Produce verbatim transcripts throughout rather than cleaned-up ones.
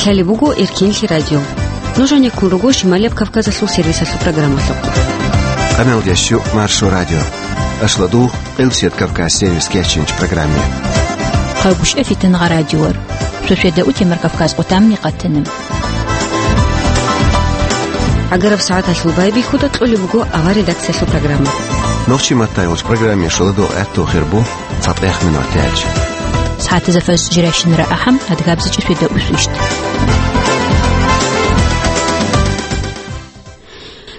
Гьале буго Эркенлъи радио. Нуж гьанеккун руго Шималияб Кавказалъул сервисалъул программалъухъ. Къамел ящу Маршо радио. Ашладу Къилсият Кавказ сервис кечинч программе. Хъайгушъа фитангъа радиор. Шошеда утемар Кавказ къутамни къатана. Агараб сагӀаталъул байбихьуда кьолеб буго авар редакциялъул программа. Нохчи маттайгъулч программе шоладу гӀатту хирбу. ЦатӀех минутаялъ. СагӀатазда фаз жирайщинара ахӀам, адгабзичӀеб свида усвищ.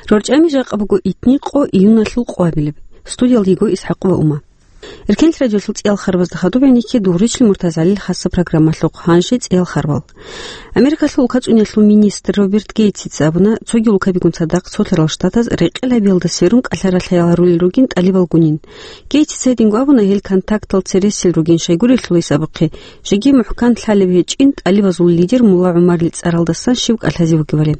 РорчӀами жакъа буго итни къо июналъул къвабилеб. Студиялда йиго ИсхӀакъ ва Ума. Эркенлъи радиолъул цӀиял харбазда хадуб гӀенекке Дугъричлъи МуртазгӀалил хасаб программалъухъ, гьанже цӀиял харбал. Америкалъул улкацӀунялъул министр Роберт Гейтсица абуна, цогиял улкабигун цадахъ цо лъарал штатаз рекъелабиялда сверун кӀалъаралъаял гьарулел ругин тӀалибалгунин. Гейтсица гьединго абуна, гьел контактал цересел ругин, щайгурелъул гьес абухъе, жеги мухӀкан лъалеб гьечӀин тӀалибазул лидер Мулла ГӀумарил цӀаралдасан щив кӀалъазе вугевали.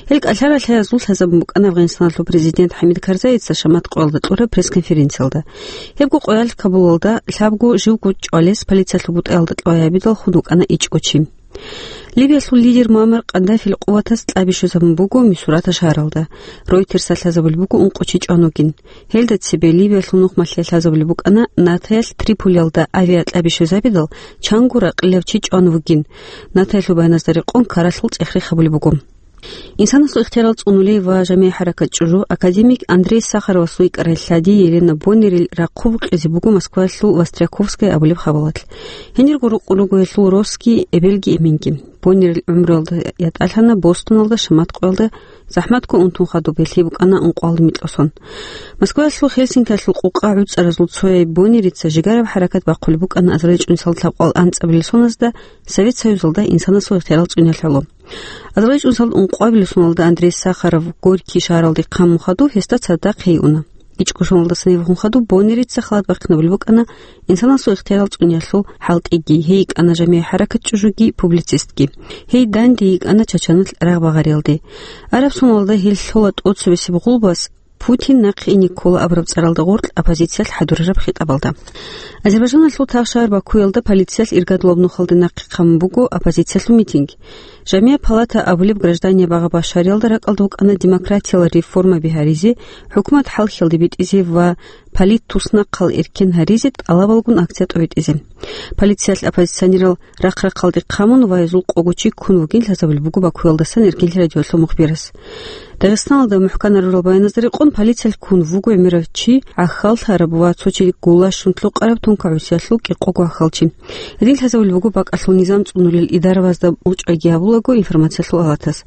Гьел кӀалъаралъаязул лъазабун букӀана Афганистаналъул президент ХӀамид Карзаица шамат къоялда кьураб пресс-конференциялда. Гьебго къоялъ Кабулалда лъабго живго чӀвалес полициялъул бутӀаялда кьвай гьабидал хун вукӀана ичӀго чи. Ливиялъул лидер Муаммар Къаддафил къуватаз кьаби щвезабун буго Мисурата шагьаралда. Ройтерсалъ лъазабулеб буго ункъо чи чӀван вугин. Гьелда цебе Ливиялъул нухмалъе лъазабулеб букӀана НАТОялъ Триполиялда авиакьаби щвезабидал чанго ракъилав чи чӀван вугин. НАТОялъул баяназда рекъон каралъул цӀех-рех гьабулеб буго. Инсанасул ихтиярал цӀунулей ва жамигӀ-хӀаракат чӀужу академик Андрей Сахаровасул икӀарай лъади Елена Боннерил рахъу букьизе буго Москваялъул Востряковская абулеб хабалалъ. Гьенирго рукъун руго гьелъул росги, эбелги, эменги. Боннерил гӀумруялда ятӀалъана Бостоналда шамат къоялда, захӀматго унтун хадуб гьелъие букӀана ункъоялда микьго сон. Москваялъул Хельсинкиялъул къукъа гӀуцӀаразул цояй Боннерица жигараб хӀаракат бахъулеб букӀана азарилчӀунсал лъабкъоялда анцӀабилеб соналда Совет Союзалда инсанасул ихтиярал цӀуниялъ гӀоло. АзарилчӀунсал ункъоялда соналда Андрей Сахаров Горький шагьаралде хъамун хадуб гьесда цадахъ гьей уна. ИчӀго соналдаса гьеб хун хадуб Боннерица халат бахъинабулеб букӀана инсанасул ихтиярал цӀуниялъул хӀалтӀиги, гьей йикӀана жамигӀ-хӀаракат чӀужуги, публицистги. Гьей данде йикӀана Чачаналъ рагъ багъариялде. Араб соналда гьел лъола тӀоцебесеб гъулбас Путин нахъе ине ккола абураб цӀаралда гъоркь оппозициялъ хӀадурараб хитӀабалда. Азербайджаналъул тавшагьар Бакуялда полициялъ иргадулаб нухалде нахъе хъамун буго оппозициялъул митинг. Жамиа палата абулеб граждания багъа-башариялда ракӀалда вукӀана демократиял реформаби гьаризе, хӀукумат хӀалхьиялде битӀизе ва политтуснахъал эркен гьаризе тӀалабалгун акция тӀобитӀизе. Полициялъ оппозиционерал рахъ-рахъалде хъамун ва гьезул къого чи ккун вугин лъазабулеб буго Бакуялдасан Эркенлъи радиолъул мухбирас. Дагъистаналда мухӀканарурал баяназда рекъон полициялъ ккун вуго гӀемерав чи, гӀахьаллъараб ва цо чи гулащун лъукъараб тункагӀусиялъул кӀикъого гӀахьалчи. Гьедин лъазабулеб буго бакӀалъул низам цӀунулел идарабазда мучӀайги гьабулаго информациялъул алатас.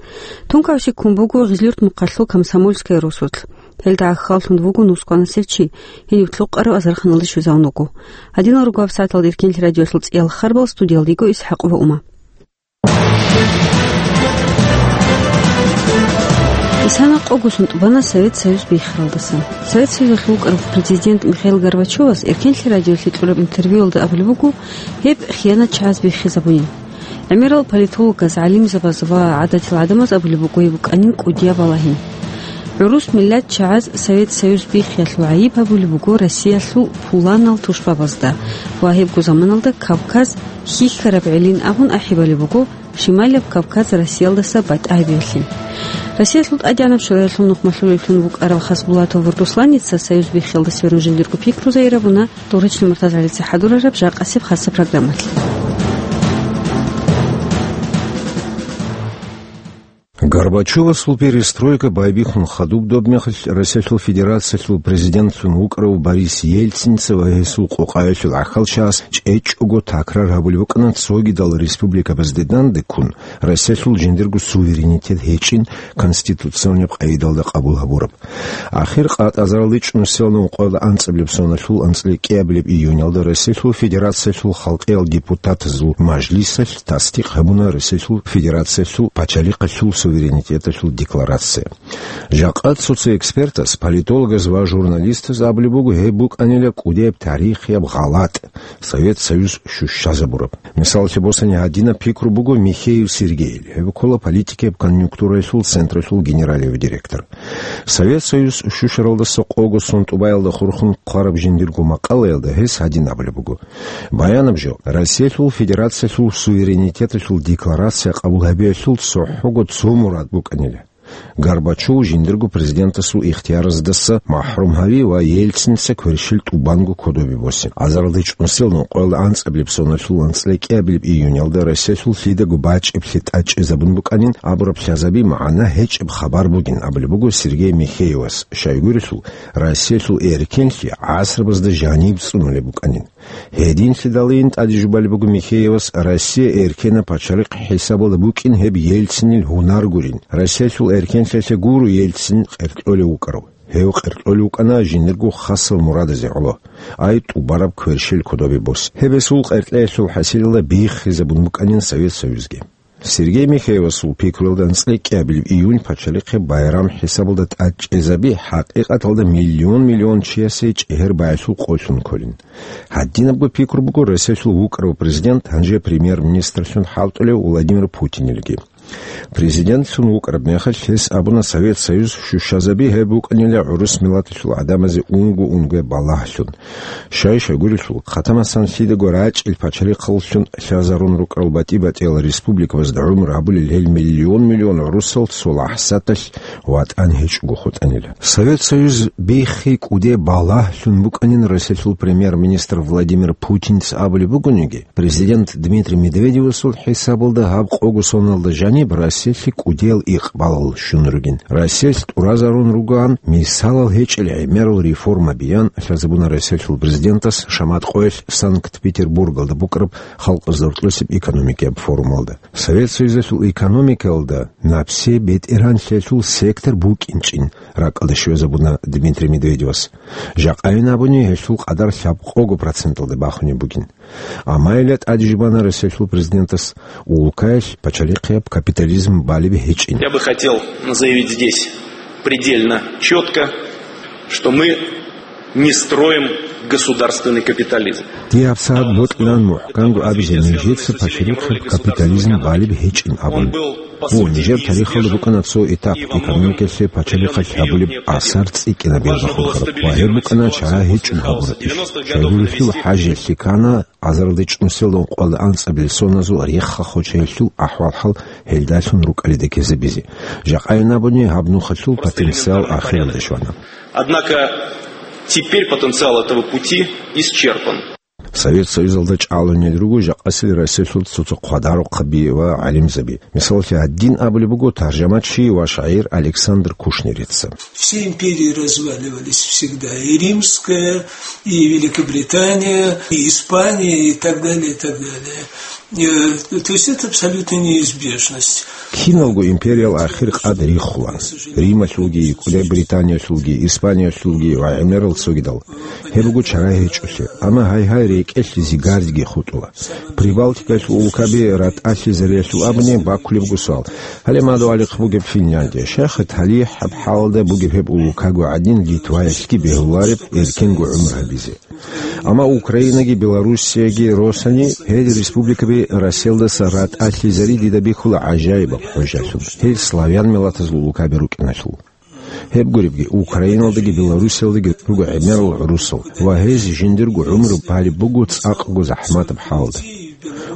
ТункагӀуси ккун буго Гъизлюрт мухъалъул Комсомольская росулъ. Гьелда гӀахьаллъун вуго нускванасев чи, гьенив лъукъарав азарханалде щвезавун вуго. Гьадинал руго гьабсагӀаталда Эркенлъи радиолъул цӀиял харбал, студиялда йиго ИсхӀакъ ва Ума. Исана къого сон тӀубана Совет Союз биххаралдасан. Совет Союзалъул вукӀарав президент Михаил Горбачевас Эркенлъи радиолъе кьураб интервьюялда абулеб буго, гьеб хиянатчагӀаз биххизабунин. ГӀемерал политологаз, гӀалимзабаз ва гӀадатил гӀадамаз абулеб буго гьеб букӀанин кӀудияб балагьи. ГӀурус миллатчагӀаз Совет Союз биххиялъул гӀайиб гьабулеб буго Россиялъул пуланал тушбабазда ва гьебго заманалда Кавказ хьихьараб гӀелин абун ахӀи балеб буго Шималияб Кавказ Россиялдаса батӀа гьабиялъе. Россиялъул ТӀадегӀанаб Шораялъул нухмалъулев вукӀарав Хасбулатов Русланица Союз биххиялда сверун жиндирго пикру зайирабуна Дугъричлъи МуртазгӀалица хӀадурараб жакъасеб хасаб программалъ. Горбачевасул перестройка байбихьун хадуб добмехалъ Россиялъул Федерациялъул президентлъун вукӀарав Борис Ельцинца ва гьесул къокъаялъул гӀахьалчагӀаз чӀечӀого такрар гьабулеб букӀана цогидал республикабазде данде ккун, Россиялъул жиндирго суверенитет гьечӀин конституционаб къагӀидалда къабул гьабураб. Ахир къатӀазаралде чӀунусиялда ункъоялда анцӀабилеб соналъул анцӀила кӀиабилеб июнялда Россиялъул Федерациялъул халкъиял депутатазул мажлисалъ тасдикъ гьабуна Россиялъул Федерациялъул пачалихъалъул суверенитеталъул декларация. Жакъа цо-цо экспертаз, политологаз ва журналистаз абулеб буго, гьеб букӀанила кӀудияб тарихияб гъалатӀ, Совет Союз щущазабураб. Мисаллъи босани, гьадинаб пикру буго Михеев Сергейил, гьеб ккола политикияб конъюнктураялъул централъул генералияб директор. Совет Союз щущаралдаса къого сон тӀубаялда хурхун хъвараб жиндирго макъалаялда гьес гьадин абулеб буго: «Баянаб жо, Россиялъул Федерациялъул суверенитеталъул декларация къабул гьабиялъул цохӀого цо мурад букӀанила: Горбачев жиндирго президентасул ихтияраздаса махӀрум гьави ва Ельциница кверщел тӀубанго кодобе босе». Азаралда чӀунсел нукъоялда анцӀабилеб соналъул анцӀила кӀиабилеб июнялда Россиялъул лъидаго бачӀиблъи тӀадчӀезабун букӀанин абураб лъазаби магӀна гьечӀеб хабар бугин абулеб буго Сергей Михеевас, щайгурелъул Россиялъул эркенлъи гӀасрабазда жаниб цӀунулеб букӀанин. Гьединлъидалин тӀаде жубалеб буго Михеевас Россия эркенаб пачалихъ хӀисабалда букӀин гьеб Ельцинил гьунар гурин. Россиялъул эркенлъиялъе гуро Ельцин къеркьолев вукӀарав. Гьев къеркьолев вукӀана жиндирго хасал мурадазе гӀоло, ай тӀубараб кверщел кодобе бос. Гьеб гьесул къеркьеялъул хӀасилалда биххизабун букӀанин Совет Союзги. Сергей Михеевасул пикруялда анцӀила кӀиабилеб июнь пачалихъе байрам хӀисабалда тӀадчӀезаби хӀакъикъаталда миллион-миллион чиясе чӀегьер баялъул къолъун кколин. Гьадинабго пикру буго Россиялъул вукӀарав президент, гьанже премьер-министрлъун хӀалтӀулев Владимир Путинилги. Президентлъун вукӀараб мехалъ гьес абуна Совет Союз щущазаби гьеб букӀанила гӀурус миллаталъул гӀадамазе унго-унго балагьлъун. Щай-щайгурелъул, хъатамасан лъидаго рачӀил пачалихъаллъун лъазарун рукӀарал батӀи-батӀиял республикабазда гӀумру гьабулел гьел миллион-миллион гӀурусал цо лахӀзаталъ ватӀан гьечӀого хутӀанила. Совет Союз биххи кӀуде балагьлъун букӀанин Россиялъул премьер-министр Владимир Путинца абулеб бугониги, президент Дмитрий Медведевасул хӀисабалда гьаб къого соналда жаниб Россиялъе кӀудиял икъбалал щун ругин. Россиялъ тӀуразарун ругоан мисалал гьечӀел гӀемерал реформа биян лъазабуна Россиялъул президентас шамат къоялъ Санкт-Петербургалда букӀараб халкъ зортлъусеб экономикияб форумалда. Совет Союзалъул экономикаялда напсе бетӀергьанлъиялъул сектор букӀинчӀин ракӀалде щвезабуна Дмитрий Медведевас. Жакъайин абуни, гьелъул къадар лъабкъого проценталде бахунеб бугин. Амма гьелда тӀаде жубана Россиялъул президентас улкаялъ пачалихъияб капитализм балеб гьечӀин. Я бы хотел заявить здесь предельно четко, что мы не строим государственный капитализм. Дие гьабсагӀат бокьилан мухӀканго абизе нижеца пачалихъияб капитализм балеб гьечӀин абун. Гьу, нижер тарихалда букӀана цо этап, экономикалъе пачалихъалъ гьабулеб асар цӀикӀкӀинабиялда хурхараб ва гьеб букӀана чара гьечӀого гьабураб иш. Щайгурелъул хӀажалъе ккана азаралда чӀунсел нукъоялда анцӀабилеб соназул рехха хочаялъул ахӀвал-хӀал гьелдалъун рукӀалида ккезабизе. Жакъайин абуни, гьаб нухалъул потенциал ахиралде щвана. Однако теперь потенциал этого пути исчерпан. Совет Союзалда чӀалунел руго жакъасел Россиялъул цо-цо хъвадарухъаби ва гӀалимзаби. Мисалалъе, гьадин абулеб буго таржамачи ва шагӀир Александр Кушнерица. Все империи разваливались всегда. И Римская, и Великобритания, и Испания, и так далее, и так далее. Э, то есть это абсолютная неизбежность. Киналго империял ахир къад рихула. Рималъулги, кӀуди Британиялъулги, Испаниялъулги ва гӀемерал цогидал. Гьеб буго чара гьечӀолъи. Амма гьай-гьай рекӀелъ зигардиги хутӀула. Прибалтикалъул улкаби ратӀалъизариялъул абуни бакулеб буго суал. Гьале мадугьалихъ бугеб Финляндия. Щай хъат гьалихьаб хӀалалда бугеб гьеб улкаго гӀадин Литваялъги бегьулареб эркенго гӀумру гьабизе. Амма Украинаги Белоруссияги росани, гьел республикаби Россиялдаса ратӀалъизари дида бихьула гӀажаибаб хӀужалъун, гьел славян миллатазул улкаби рукӀиналъул. Гьеб гуребги, Украиналдаги Белоруссиялдаги руго гӀемерал гӀурусал ва гьез жиндирго гӀумру балеб буго цӀакъго захӀматаб хӀалда.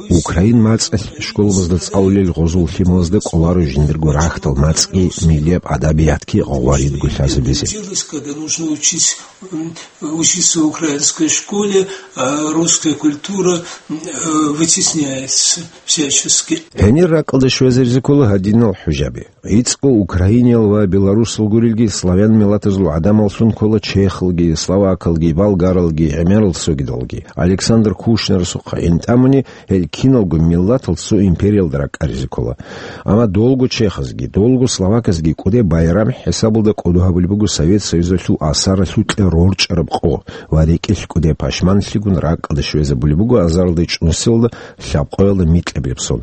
Украин мацӀалъ школабазда цӀалулел гъозул лъималазда кӀоларо жиндирго рахьдал мацӀги, миллияб адабиятги гъваридго лъазабизе. Когда нужно учить, м, учиться в украинской школе, а русская культура, м, э, вытесняется всячески. Гьенир ракӀалде щвезаризе ккола гьадинал хӀужаби. ГӀицӀго украиниял ва белорусал гурелги, славян миллатазул гӀадамаллъун ккола чехалги, словакалги, болгаралги, гӀемерал цогидалги. Александр Кушнерасухъа гӀин тӀамуни, гьел киналго миллатал цо империялда ракӀаризе ккола. Амма долго чехазги, долго словаказги кӀуде байрам хӀисабалда кӀодо гьабулеб буго Совет Союзалъул асаралъукьа рорчӀараб къо ва рекӀелъ кӀуде пашманлъигун ракӀалде щвезабулеб буго азаралда чӀунсилалда лъабкъоялда микьабилеб сон.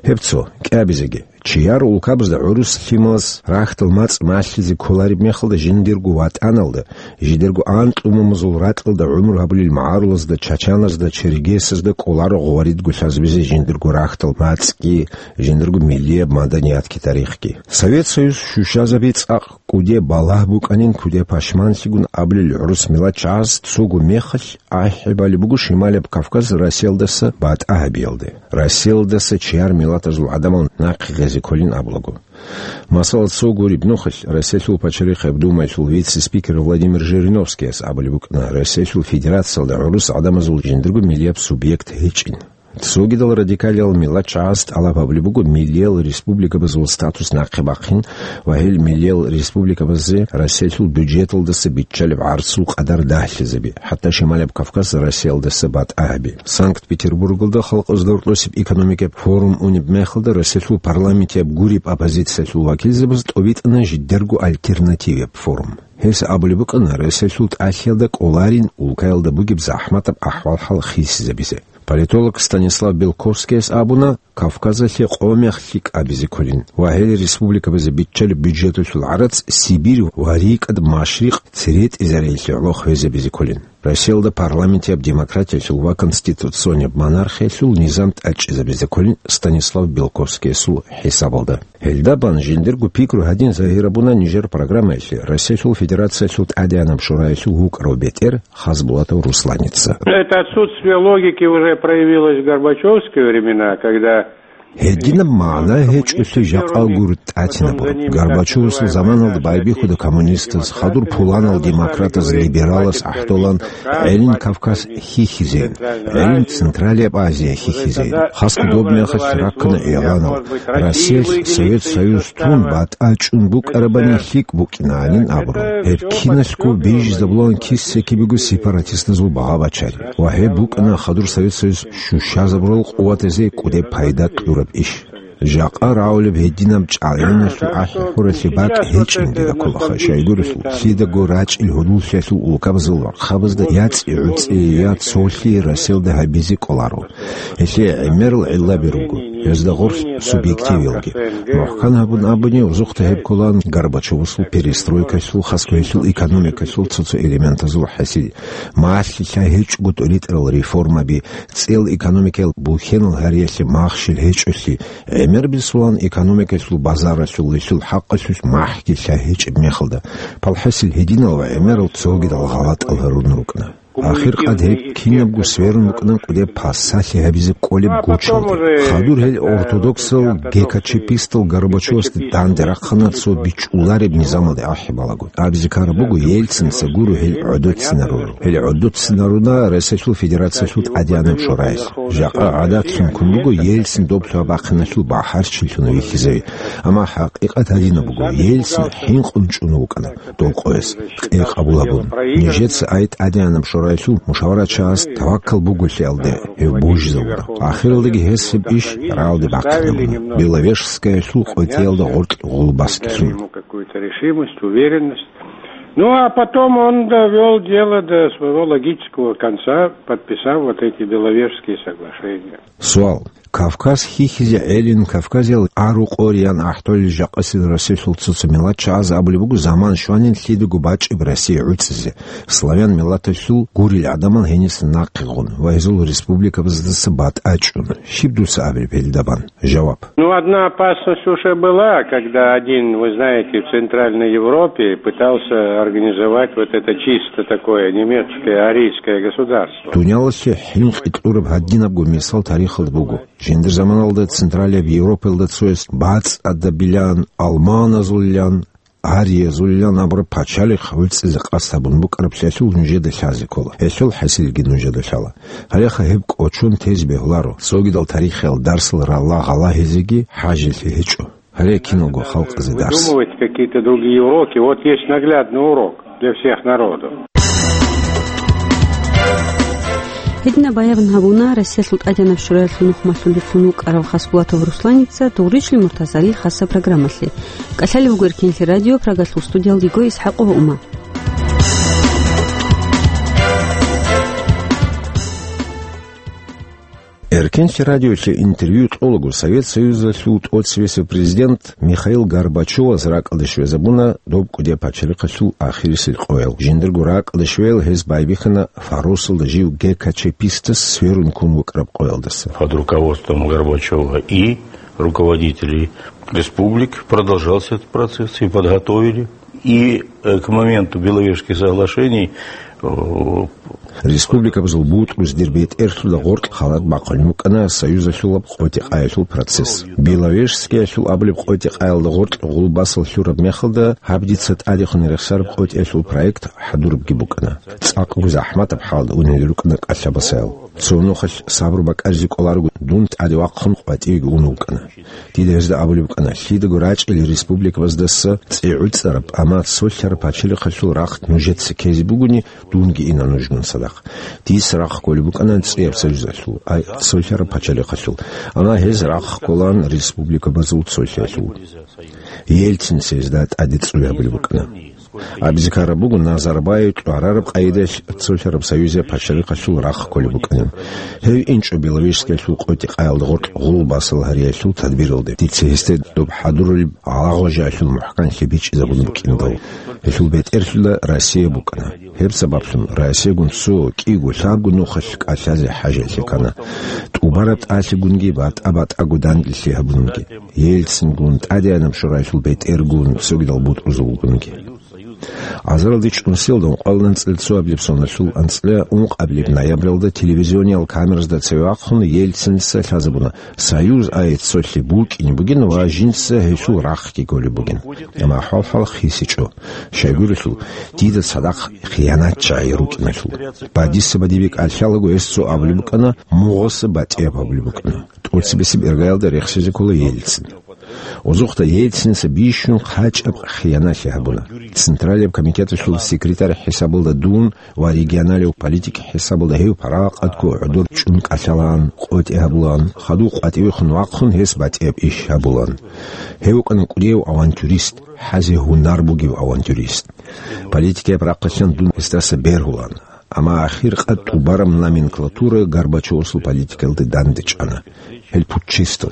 Гьеб цо, кӀиабизеги, Чияр улкабазда гӀурус лъималаз рахьдал мацӀ малъизе кколареб мехалда жиндирго ватӀаналда, жидерго анкьумумузул ракьалда гӀумру гьабулел магӀарулазда, чачаназда, чергесазда кӀоларо гъоваридго лъазабизе жиндирго рахьдал мацӀги, жиндирго миллияб маданиятги тарихги. Совет Союз щущазаби цӀакъ кӀуде балагь букӀанин, куде пашманлъигун абулел гӀурус миллат чагӀаз цого мехалъ ахӀи балеб буго Шималаб Кавказ Россиялдаса батӀа гьабиялде, Россиялдаса чияр миллатазул гӀадамал нахъе гъезе кколин абулаго. Масала, цо гуреб нухалъ Россиялъул пачалихъаб Думаялъул вице-спикер Владимир Жириновскияс абулеб букӀана, Россиялъул Федерациялда гӀурус гӀадамазул жиндирго миллияб субъект гьечӀин. Цогидал радикалиял миллат чагӀаз тӀалаб гьабулеб буго миллиял республикабазул статус нахъе бахъин ва гьел миллиял республикабазе Россиялъул бюджеталдаса биччалеб гӀарцул къадар дагьлъизаби, хӀатта Шималаб Кавказ Россиялдаса батӀа гьаби. Санкт-Петербургалда халкъазда гьоркьосеб экономикаб форум унеб мехалда Россиялъул парламентияб гуреб оппозициялъул вакилзабаз тӀобитӀана жидерго альтернативияб форум. Гьес абулеб букӀана, Россиялъул тӀалъиялда кӀоларин улкаялда бугеб захӀматаб ахӀвал-хӀал хисизабизе. Политолог Станислав Белковскияс абуна, Кавказалъе къо-мех лъикӀ абизе кколин ва гьел республикабазе биччалеб бюджеталъул гӀарац Сибирь ва рикӀкӀад Машрикъ цере тӀизареялъе гӀоло хвезабизе кколин. Россиялда парламентияб демократиялъул ва конституционияб монархиялъул низам тӀадчӀезабизе кколин Станислав Белковскиясул хӀисабалда. Гьелда бан жиндирго пикру гьадин загьир гьабуна нижер программаялъе Россиялъул Федерациялъул ТӀадегӀанаб Шораялъул вукӀарав бетӀер Хасбулатов Русланица. Это отсутствие логики уже проявилось в Горбачевские времена, когда Гьединаб магӀна гьечӀолъи жакъа гуро тӀатинабураб. Горбачевасул заманалда байбихьуда коммунистаз, хадур пуланал демократаз, либералаз гӀахӀдолан гӀелин Кавказ хьихьизейин, гӀелин Централияб Азия хьихьизейин. Хасго доб мехалъ раккана игӀланал, Россиялъ Совет Союз тун батӀа чӀун букӀарабани лъикӀ букӀинанин абураб. Гьеб киналъго бижизабулан киса-кибего сепаратистазул багъа-бачари. Ва гьеб букӀана хадур Совет Союз щущазабурал къуватазе кӀудеб пайда кьураб иш. Жакъа рагӀулеб гьединаб чӀалгӀиналъул ахӀи-хӀуралъе бакӀ гьечӀин дида кколаха, щайгурелъул, лъидаго рачӀил гьудуллъиялъул улкабазул вархъабазда я цӀи-гӀуцӀи, я цолъи Россиялда гьабизе кӀоларо. Гьелъие гӀемерал гӀиллаби руго, гьезда гъорлъ субъективиялги. МухӀкан гьабун абуни, узухъда гьеб кколаан Горбачевасул перестройкалъул, хасго гьелъул экономикалъул цо-цо элементазул хӀасил, малъи лъай гьечӀого тӀоритӀарал реформаби, цӀел экономикаялъ бухьенал гьариялъе махщел гьечӀолъи, гӀемер бицулан экономикалъул, базаралъул, гьелъул хӀакъалъулъ махӀги лъай гьечӀеб мехалда, палхӀасил гьединал ва гӀемерал цогидал гъалатӀал гьарун рукӀана. Ахир къад гьеб кинабго сверун рукӀана кӀудеб пасалъи гьабизе кӀолеб гучалде. Хадур гьел ортодоксал ГКЧПистал Горбачевасде данде рахъана цо бичӀчӀулареб низамалде ахӀи балагун. Абизе ккараб буго, Ельцинца гуро гьел гӀодоцинарурал. Гьел гӀодоцинаруна Россиялъул Федерациялъул ТӀадегӀанаб Шораялъ. Жакъа гӀадатлъун ккун буго Ельцин доб лъугьа-бахъиналъул бахӀарчилъун вихьизави. Амма хӀакъикъат гьадинаб буго, Ельцин хӀинкъун чӀун вукӀана дов къояс, къе къабул гьабун. Нижеца ай ТӀадегӀанаб Шораялъул мушаварачагӀаз таваккал буголъиялде гьев божизавуна. Ахиралдаги гьес гьеб иш рагӀалде бахъинабуна. Беловежскаялъул къотӀиялда гъоркь гъул баскилъун. Какую-то решимость, уверенность. Ну, а потом он довёл дело до своего логического конца, подписав вот эти Беловежские соглашения. Суал. Кавказ хьихьизе гӀелин, Кавказиял арукъориян ахӀдолел жакъасил Россиялъул цо-цо миллат чагӀаз абулеб буго, заман щванин лъидаго бачӀеб Россия гӀуцӀизе, славян миллаталъул гурел гӀадамал гьениса нахъе гъун ва гьезул республикабаздаса батӀа чӀун. Щиб дуца абилеб гьелда бан? Жаваб. Ну, одна опасность уже была, когда один, вы знаете, в Центральной Европе пытался организовать вот это чисто такое немецкое арийское государство. Дуниялалъе хӀинкъи кьураб гьадинабго мисал тарихалда буго. Жиндир заманалда Централияб Европаялда цояс бацӀцӀадабилан, алманазулилан, ариязулилан абураб пачалихъ гӀуцӀизе къасд гьабун букӀараблъиялъул нужеда лъазе ккола. Гьелъул хӀасилги нужеда лъала. Гьалеха гьеб кӀочон тезе бегьуларо, цогидал тарихиял дарсал ралла гъала гьезеги хӀажилъи гьечӀо. Гьаре киналго халкъазе дарс. Выдумывать какие-то другие уроки. Вот есть наглядный урок для всех народов. Гьединаб баян гьабуна Россиялъул ТӀадегӀанаб Шораялъул нухмалъулевлъун вукӀарав Хасбулатов Русланица Дугъричлъи Муртазари хасаб программалъе. КӀалъалев вуго Эркенлъи радио Прагалъул студиялда йиго ИсхӀакъова Ума. Эркенлъи радиолъе интервью кьолаго Совет Союзалъул тӀоцебесеб президент Михаил Горбачевас ракӀалде щвезабуна доб кӀудияб пачалихъалъул ахирисел къоял. Жиндирго ракӀалде щвеял гьез байбихьана Фаросалда жив ГКЧПистас сверун ккун вукӀараб къоялдаса. Под руководством Горбачева и руководителей республик продолжался этот процесс, и подготовили. И, э, к моменту Беловежских соглашений, э, Республикабазул бутӀруз дир бетӀерлъуда гъоркь халат бахъулеб букӀана союзалъулаб къотӀи-къаялъул процесс. Беловежскиялъул абулеб къотӀи-къаялда гъоркь гъулбасал лъураб мехалда гьаб дица тӀадехун рехсараб къотӀиялъул проект хӀадурабги букӀана. ЦӀакъго захӀматаб хӀалда унел рукӀана кӀалъабасаял. Цо нухалъ сабру бакӀаризе кӀоларого дун тӀаде вахъун къватӀивеги ун вукӀана. Дида гьезда абулеб букӀана, лъидаго рачӀел республикабаздаса цӀи гӀуцӀараб, амма цолъараб пачалихъалъул рахъ нужеца ккезе бугони, дунги ина нужгун цадахъ. Дица рахъ кколеб букӀана цӀияб союзалъул, ай цолъараб пачалихъалъул, амма гьез рахъ кколаан республикабазул цолъиялъул. Ельцин гьезда тӀаде цӀуй гьабулеб букӀана. Абизе ккараб буго, Назарбаев тӀварараб къайдалъ цолъараб союзияб пачалихъалъул рахъ кколеб букӀанин. Гьев инчӀо Беловежскиялъул къотӀи-къаялда гъоркь гъулбасал гьариялъул тадбиралде. Дица гьесде доб хӀадурулеб гӀалагъважаялъул мухӀканлъи бичӀчӀизабун букӀиндал. Гьелъул бетӀерлъуда Россия букӀана. Гьеб сабаблъун Россиягун цо кӀиго-лъабго нухалъ кӀалъазе хӀажалъи ккана. ТӀубараб тӀалъигунги батӀа-батӀаго данделъи гьабунги. Ельцингун, ТӀадегӀанаб Шораялъул бетӀергун, цогидал бутӀрузулгунги. Азаралде чӀунсиялда ункъоялда анцӀила цоабилеб соналъул анцӀила ункъабилеб ноябралда телевизиониял камеразда цеве вахъун Ельциница лъазабуна, союз ай цолъи букӀине бугин ва жинца гьелъул рахъги кколеб бугин. Амма ахӀвал-хӀал хисичӀо. Щайгурелъул, дида цадахъ хиянатчагӀи рукӀиналъул. Ба дица бадибе кӀалъалаго гьес цо абулеб букӀана, мугъаса батӀияб гьабулеб букӀана. ТӀоцебесеб иргаялда рехсизе ккола Ельцин. Озухъда Ельциница бищун хъачӀаб хиянаталъи гьабуна. Централияб комитеталъул секретарь хӀисабалда дун ва регионалияб политик хӀисабалда гьев паракъатго гӀодор чӀун кӀалъалаан, къотӀи гьабулаан, хадув къватӀивехун вахъун гьес батӀияб иш гьабулаан. Гьев вукӀана кӀудияв авантюрист, хӀазе гьунар бугев авантюрист. Политикаяб рахъалъан дун гьесдаса бергьулаан. Амма ахир къад тӀубараб номенклатура Горбачевасул политикалде дандечӀана. Гьел путчистал.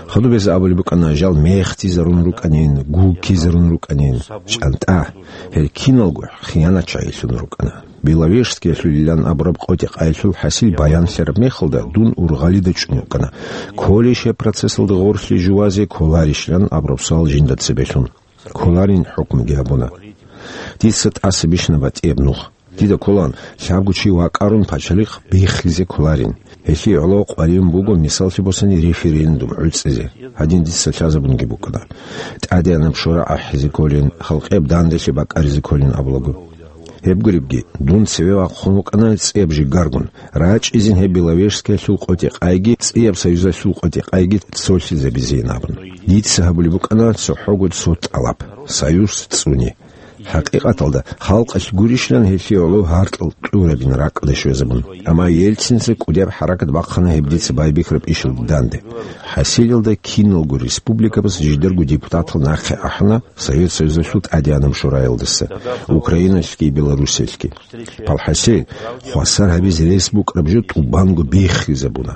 Хадуб гьез абулеб букӀана, жал мехтизарун рукӀанин, гуккизарун рукӀанин, чӀантӀа, гьел киналго хиянатчагӀилъун рукӀана. Беловежскиялъулилан абураб къотӀи-къаялъул хӀасил баянлъараб мехалда дун ургъалида чӀун вукӀана. Кколищ гьеб процессалда гъорлъе жувазе, кколарищилан абураб суал жинда цебелъун. Кколарин хӀукмуги гьабуна. Дица тӀаса бищана батӀияб нух. Дида кколаан, лъабго чи вакӀарун пачалихъ биххизе кколарин. Гьелъие гӀоло къваригӀун буго, мисаллъи босани, референдум гӀуцӀизе. Гьадин дица лъазабунги букӀана. ТӀадегӀанаб Шора ахӀизе кколин, халкъияб данделъи бакӀаризе кколин абулаго. Гьеб гуребги, дун цеве вахъун вукӀана цӀияб жигаргун, рачӀизин гьеб Беловежскиялъул къотӀи-къайги, цӀияб союзалъул къотӀи-къайги цолъизабизейин абун. Дица гьабулеб букӀана цохӀого цо тӀалаб: союз цӀуни. ХӀакъикъаталда, халкъалъ гурищилан гьелъие гӀоло гьаркьал кьурабин ракӀалде щвезабун. Амма Ельцинца кӀудияб хӀаракат бахъана гьеб дица байбихьараб ишалда данде. ХӀасилалда киналго республикабаз жидерго депутатал нахъе ахӀана Совет Союзалъул ТӀадегӀанаб Шораялдаса, Украиналъги Белоруссиялъги. Палхасел, хвасар гьабизе рес букӀараб жо тӀубанго биххизабуна.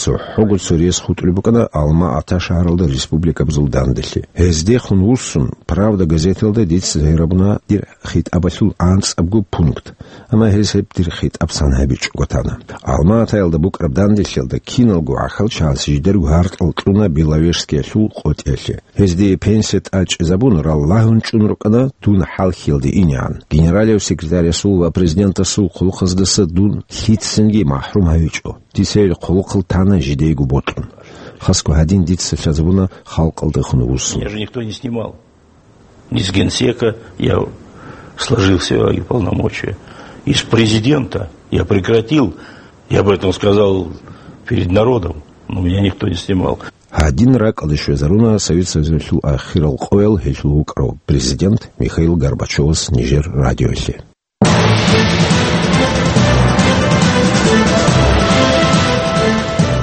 ЦохӀого цо рес хутӀулеб букӀана Алма-Ата шагьаралда республикабазул данделъи. Гьездехун вуссун, «Правда» газеталда дица гьарабуна дир хитӀабалъул анцӀабго пункт. Амма гьез гьеб дир хитӀаб цан гьабичӀого тана. Алма-Атаялда букӀараб данделъиялда киналго гӀахьалчагӀаз жидерго гьаркьал кьуна Беловежскиялъул къотӀиялъе. Гьезде пенсия тӀачӀизабун, раллагьун чӀун рукӀана дун хӀалхьиялде инегӀан. Генералияв секретарясул ва президентасул хъулухъаздаса дун лъицанги махӀрум гьавичӀо. Дица гьел хъулухъал тана жидейго бокьун. Хасго гьадин дица лъазабуна халкъалдехун вуссун. Меня же никто не снимал. Из генсека я сложил свои полномочия. Из президента я прекратил. Я об этом сказал перед народом, но меня никто не снимал. Гьадин ракӀалде щвезаруна Совет Союзалъул ахирал къоял гьелъул вукӀарав президент Михаил Горбачевас нижер радиоялъе.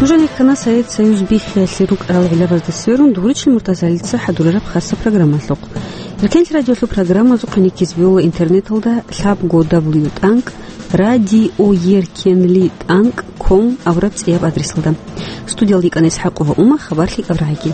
Нужеда ккана Совет Союз биххиялъе рукӀарал гӀиллабазда сверун, Дугьричил Муртазалица хӀадурараб хасаб программалъухъ. Эркенлъи радиолъул программазухъе никиз бегьула интернеталда лъабго дабл ю тӀанкӀ радиоеркенлитӀанкӀ ком абураб цӀияб адресалда. Студиялда йикӀана ИсхӀакъова Ума, хабар лъикӀаб рагӀиги.